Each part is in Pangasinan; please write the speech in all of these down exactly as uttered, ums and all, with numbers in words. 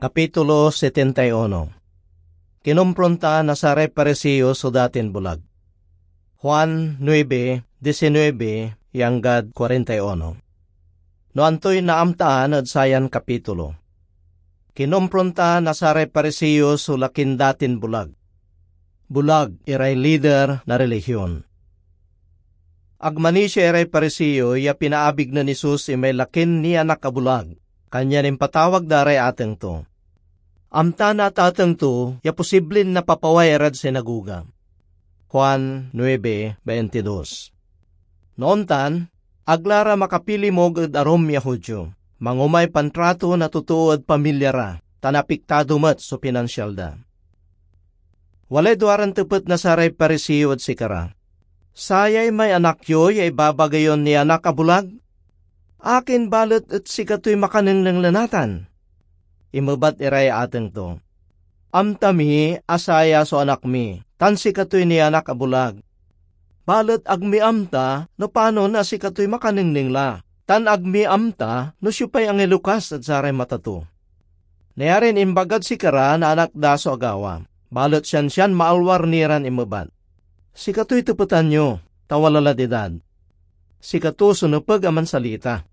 Kapitulo setenta y uno. Kinompronta na saray Pariseo so datin bulag. Juan nuebe, diecinuebe, ya anggad kuarenta y uno. No antoy naamtaan ed sayan kapitulo? Kinompronta na saray Pariseo so lakin datin bulag. Bulag iray lider na relihion. Ag manisia iray Pariseo ya pinaabig nen Jesus imay lakin nianak a bulag, kanyan impatawag da ray ateng to. Amta na atateng to ya posiblin napapaway irad sinagoga. Juan nuebe veintidos. No ontan, ag la ra makapilimug ed arum ya Judio. Mangomay pantrato na totoo ed pamilya ra, tan apiktado met so pinansial da. Walay duaran tepet na saray Pariseo ed sikara, "Sayay may anak yo ya ibabaga yon nianak a bulag? Akin balet et sikatoy makanengneng la natan?" Inmebat iray ateng to, "Amta mi a saya so anak mi, tan sikatoy nianak a bulag. Balet ag mi amta no panon a sikatoy makanengneng la, tan ag mi amta no siopay angilokas ed saray mata to." Nayarin imbagad sikara na anak da so agawa, balet siansian maalwar ni ran inmebat, "Sikatoy tepetan yo, ta wala lad idad. Sikato so nepeg a mansalita."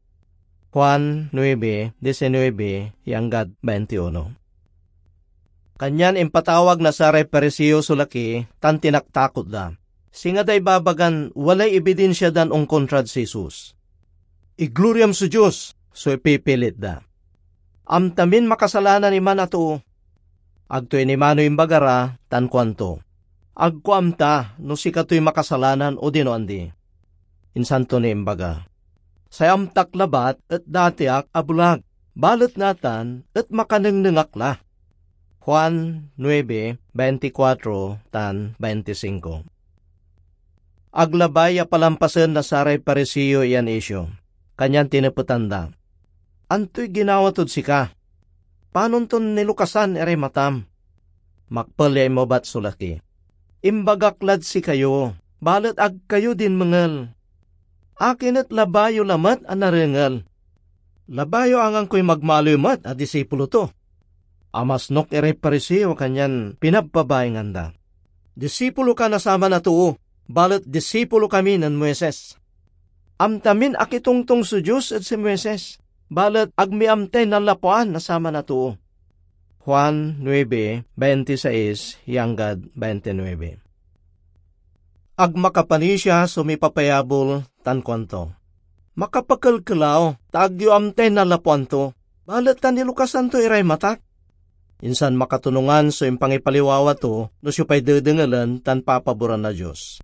Juan nuebe, diecinuebe, ya anggad veintiuno. Kanyan impatawag na saray Pariseo so laki tan tinaktakot da, singa da ibabagan walay ebidinsia dan onkontrad si Jesus. "Igloriam so Dios," so ipipilit da. "Amta min makasalanan iman a too." Ag to inimanoy imbaga ra, tan kuanto, "Ag ko amta no sikatoy makasalanan odino andi." Insan to ni imbaga, "Say amtak labat et dati ak a bulag, balet natan et makanengneng ak la." Juan nuebe, veinticuatro tan veinticinco. Ag labay ya palampasen na saray Pariseo yan isyu, kanyan tinepetan da, "Antoy ginawa tod sika? Panon ton nilukasan iray matam?" Makpel ya inmebat so laki, "Imbagak lad sikayo, balet ag kayo dinmengel. Akin et labay yo lamet a narengel? Labay yo anggan koy magmaliw met a disipulo to." Amasnok iray Pariseo, kanyan pinabpabaingan da, "Disipulo ka na saman a too, balet disipulo kami nen Moises. Amta min akitongtong so Dios ed si Moises, balet ag mi amtay nanlapuan na saman a too." Juan nuebe, veintiseis ya anggad veintinuebe. Ag makapanisia so mipapayabol tan kuanto, "Makapakelkelaw, ta ag yo amtay nanlapuan to, balet ta nilukasan to iray matak." Insan makatonungan so impangipaliwawa to no siopay dedengelen tan papaboran na Dios.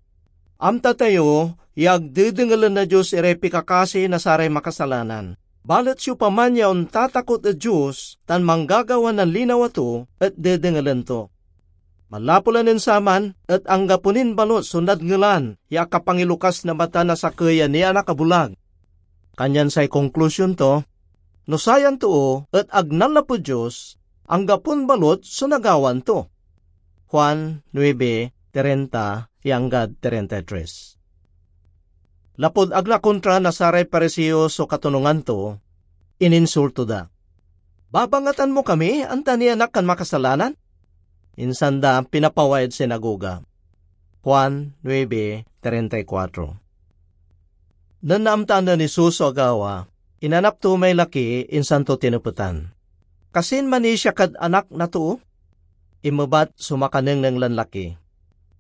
Amta tayo ya ag dedengelen na Dios iray pikakasi na saray makasalanan. Balet siopaman ya ontatakot ed Dios tan manggagawa na linawa to et dedengelen to. Manlapu la nen saman et anggapo nin balut so nadngelan ya akapangilokas na mata na sakey a nianak a bulag. Kanyan say konklusion to, no sayan too et ag nanlapud Dios, anggapon balut so nagawan to. Juan nuebe, treinta ya anggad treinta y tres. Lapud ag la kontra na saray Pariseo so katonungan to, ininsulto da, "Babangatan mo kami, anta nianak kan makasalanan?" Insan da pinapaway ed sinagoga. Juan nuebe, treinta y cuatro. Nen naamtaan nen Jesus so agawa, inanap to may laki, insan to tinepetan, "Kasin manisia kad Anak na Too?" Inmebat so makanengneng lan laki,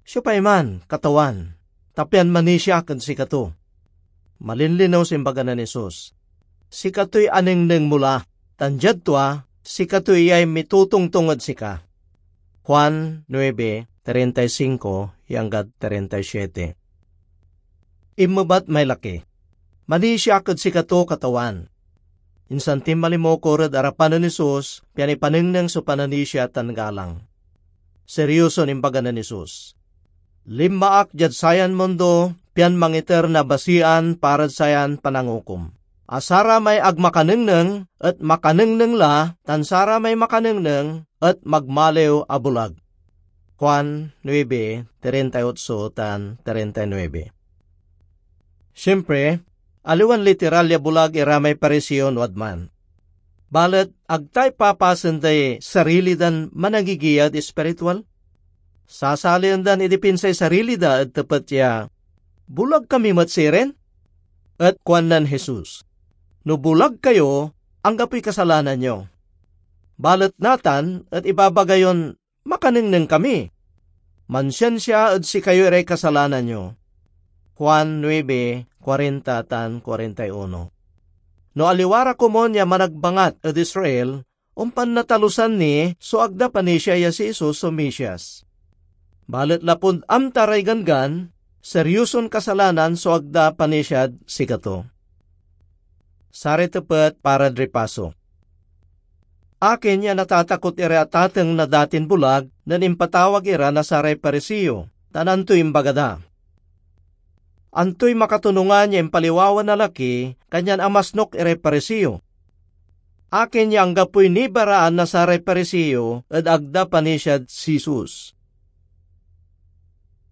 "Siopay man, Katawan, ta pian manisia ak ed sikato?" Malinlinew so imbaga nen Jesus, "Sikatoy anengneng mo la, tan diad tua, sikato iyay mitotongtong ed sika." Juan nuebe, treinta y cinco ya anggad treinta y siete. Inmebat may laki, "Manisia ak ed sikato, Katawan." Insan tinmalimukor ed arapan nen Jesus, pian ipanengneng so pananisia tan galang. Seryoson imbaga nen Jesus, "Linma ak diad sayan mundo, pian mangiter na basian parad sayan panangukom, a saramay ag makanengneng et makanengneng la, tan saramay makanengneng et magmaliw a bulag." Juan nuebe, treinta y ocho tan treinta y nuebe. Siempre, aliwan literal ya bulag ira may Pariseo no wadman. balet ag ta ipapasen day sarili dan managigiya ed espiritual? Sasalian dan idipinsay sarili da ed tepet ya, "Bulag kami met sirin?" Et kuan nen Jesus, "No bulag kayo, anggapoy kasalanan yo. Balet natan et ibabaga yon, 'Makanengneng kami. Mansiansia ed sikayo iray kasalanan yo.'" Juan nuebe, kuarenta tan kuarenta y uno. No aliwa ra komun ya managbangat ed Israel, ompan natalusan ni so ag da panisia ya si Jesus so Mesias. Balet lapud amta ray ganggan, seryoson kasalanan so ag da panisiad sikato. Saray tepet parad ripaso. Akin ya natatakot iray atateng na datin bulag nen impatawag ira na saray Pariseo, tan antoy imbaga da? Antoy makatonungan ya impaliwawa na laki, kanyan amasnok iray Pariseo? Akin ya anggapoy nibaraan na saray Pariseo ed ag da panisiad si Jesus?